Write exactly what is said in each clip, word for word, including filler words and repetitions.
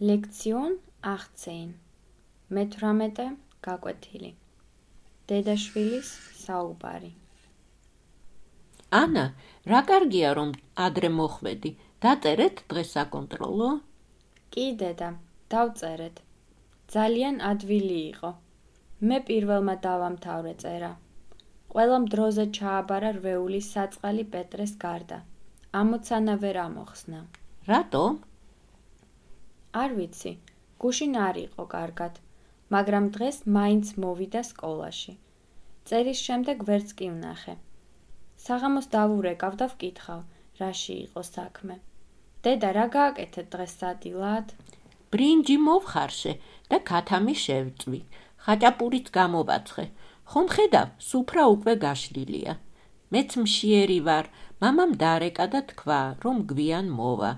ლექციონ achtzehn. მეთვრამეტე გაკვეთილი. დედაშვილის საუბარი. ანა, რა კარგია რომ ადრე მოხვედი. დაწერეთ დღეს საკონტროლო? კი დედა, დავწერეთ. ძალიან ადვილი იყო. მე პირველმა დავამთავრე წერა. ყველამ დროზე ჩააბარა რვეულის საწყალი პეტრეს გარდა. ამოცანა ვერ ამოხსნა. რატომ? არ ვიცი, გუშინ არ იყო კარგად, მაგრამ დღეს მაინც მოვიდა სკოლაში. წერის შემდეგ ვერც კი ვნახე. საღამოს დავურეკავ და ვკითხავ, რაში იყო საქმე. დედა, რა გააკეთეთ დღეს სადილად? ბრინჯი მოვხარშე და ქათამი შევწვი. ხაჭაპურიც გამოვაცხე. ხომ ხედავ, სუფრა უკვე გაშლილია. მეც მშიერი ვარ, მამამ დაარეკა და თქვა, რომ გვიან მოვა.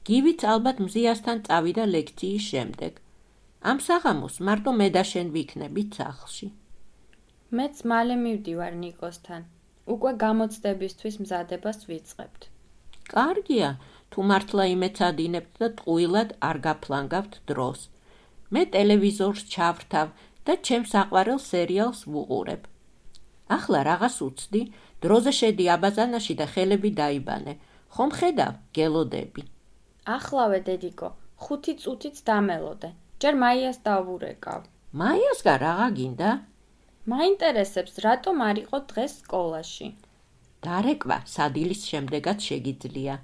გივიც ალბათ მზიასთან წავიდა ლექციის შემდეგ. ამ საღამოს მარტო მე და შენ ვიქნებით სახლში. მეც მალე მივდივარ ნიკოსთან. უკვე გამოცდებისთვის მზადებას ვიწყებთ. კარგია, თუ მართლა იმეცადინებთ და ტყუილად არ გაფლანგავთ დროს. მე ტელევიზორს ჩავრთავ და ჩემს საყვარელ სერიალს ვუყურებ. ახლა რაღაც უცდი, დროზე შედი აბაზანაში და ხელები დაიბანე. ხომ ხედავ, გელოდები. ახლავე დედიკო, ხუთი წუთიც დამელოდე. ჯერ მაიას დავურეკავ. მაიასგან რაღა გინდა? მაინტერესებს, რატომ არ იყო დღეს სკოლაში. დარეკვა სადილის შემდეგაც შეგიძლია.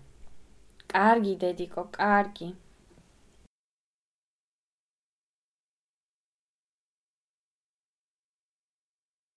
კარგი დედიკო, კარგი.